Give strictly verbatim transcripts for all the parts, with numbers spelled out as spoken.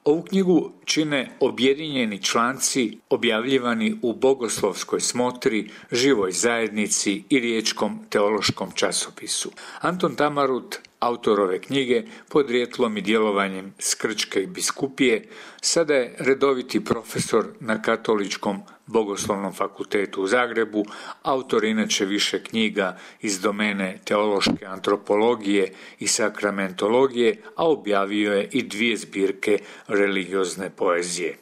Ovu knjigu čine objedinjeni članci objavljivani u Bogoslovskoj smotri, Živoj zajednici i Riječkom teološkom časopisu. Anton Tamarut, autor ove knjige, podrijetlom i djelovanjem s Krčke biskupije, sada je redoviti profesor na Katoličkom bogoslovnom fakultetu u Zagrebu, autor inače više knjiga iz domene teološke antropologije i sakramentologije, a objavio je i dvije zbirke religiozne poezije.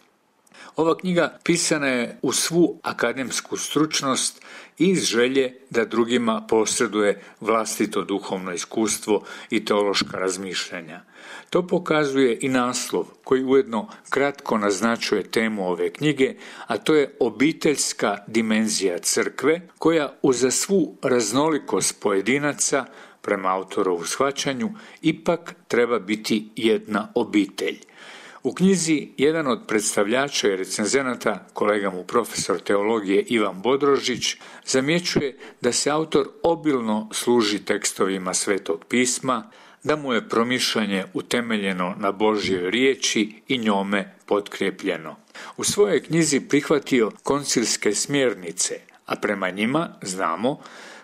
Ova knjiga pisana je u svu akademsku stručnost i iz želje da drugima posreduje vlastito duhovno iskustvo i teološka razmišljanja. To pokazuje i naslov koji ujedno kratko naznačuje temu ove knjige, a to je obiteljska dimenzija crkve koja uza svu raznolikost pojedinaca, prema autorovu shvaćanju, ipak treba biti jedna obitelj. U knjizi jedan od predstavljača i recenzenata, kolega mu profesor teologije Ivan Bodrožić, zamjećuje da se autor obilno služi tekstovima Svetog pisma, da mu je promišljanje utemeljeno na Božjoj riječi i njome potkrepljeno. U svojoj knjizi prihvatio koncilske smjernice, a prema njima, znamo,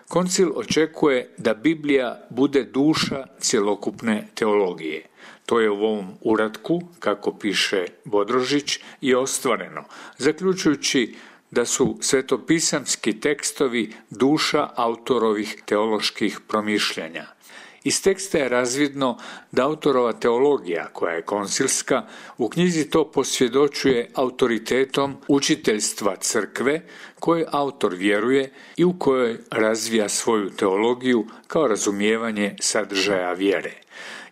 koncil očekuje da Biblija bude duša cjelokupne teologije. To je u ovom uratku, kako piše Bodrožić, i ostvareno, zaključujući da su svetopisamski tekstovi duša autorovih teoloških promišljanja. Iz teksta je razvidno da autorova teologija, koja je koncilska, u knjizi to posvjedočuje autoritetom učiteljstva crkve koje autor vjeruje i u kojoj razvija svoju teologiju kao razumijevanje sadržaja vjere.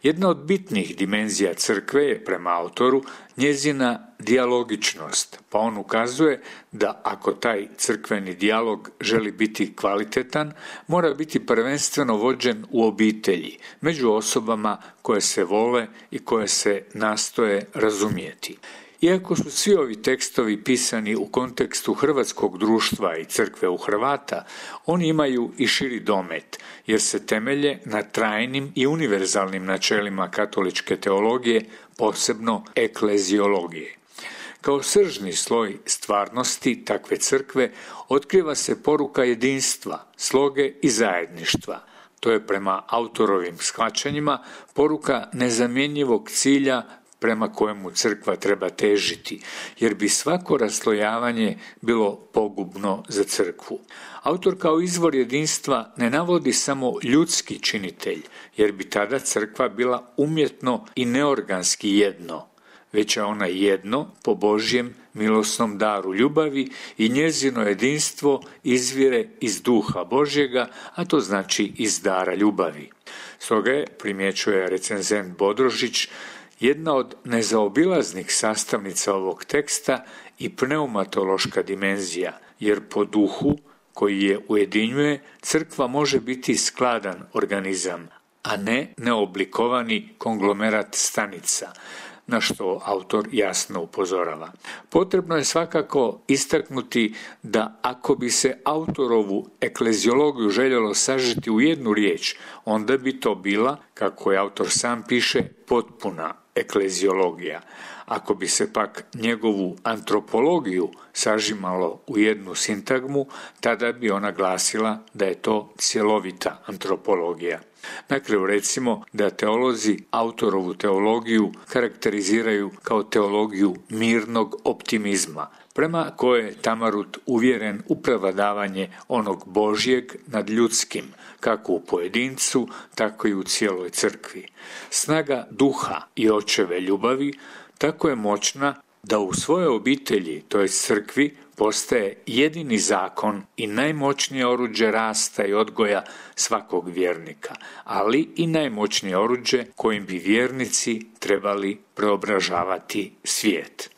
Jedna od bitnih dimenzija crkve je, prema autoru, njezina dijalogičnost, pa on ukazuje da ako taj crkveni dijalog želi biti kvalitetan, mora biti prvenstveno vođen u obitelji, među osobama koje se vole i koje se nastoje razumjeti. Iako su svi ovi tekstovi pisani u kontekstu hrvatskog društva i crkve u Hrvata, oni imaju i širi domet, jer se temelje na trajnim i univerzalnim načelima katoličke teologije, posebno ekleziologije. Kao sržni sloj stvarnosti takve crkve otkriva se poruka jedinstva, sloge i zajedništva. To je prema autorovim shvaćanjima poruka nezamjenjivog cilja prema kojemu crkva treba težiti, jer bi svako raslojavanje bilo pogubno za crkvu. Autor kao izvor jedinstva ne navodi samo ljudski činitelj, jer bi tada crkva bila umjetno i neorganski jedno, već je ona jedno po Božjem milosnom daru ljubavi i njezino jedinstvo izvire iz duha Božjega, a to znači iz dara ljubavi. Stoga je, primjećuje recenzent Bodrožić, jedna od nezaobilaznih sastavnica ovog teksta i pneumatološka dimenzija, jer po duhu koji je ujedinjuje, crkva može biti skladan organizam, a ne neoblikovani konglomerat stanica, na što autor jasno upozorava. Potrebno je svakako istaknuti da ako bi se autorovu ekleziologiju željelo sažeti u jednu riječ, onda bi to bila, kako je autor sam piše, potpuna ekleziologija. Ako bi se pak njegovu antropologiju sažimalo u jednu sintagmu, tada bi ona glasila da je to cjelovita antropologija. Na kraju recimo da teolozi autorovu teologiju karakteriziraju kao teologiju mirnog optimizma, prema koje je Tamarut uvjeren u prevladavanje onog Božjeg nad ljudskim, kako u pojedincu, tako i u cijeloj crkvi. Snaga duha i očeve ljubavi tako je moćna da u svojoj obitelji, to je crkvi, postaje jedini zakon i najmoćnije oruđe rasta i odgoja svakog vjernika, ali i najmoćnije oruđe kojim bi vjernici trebali preobražavati svijet.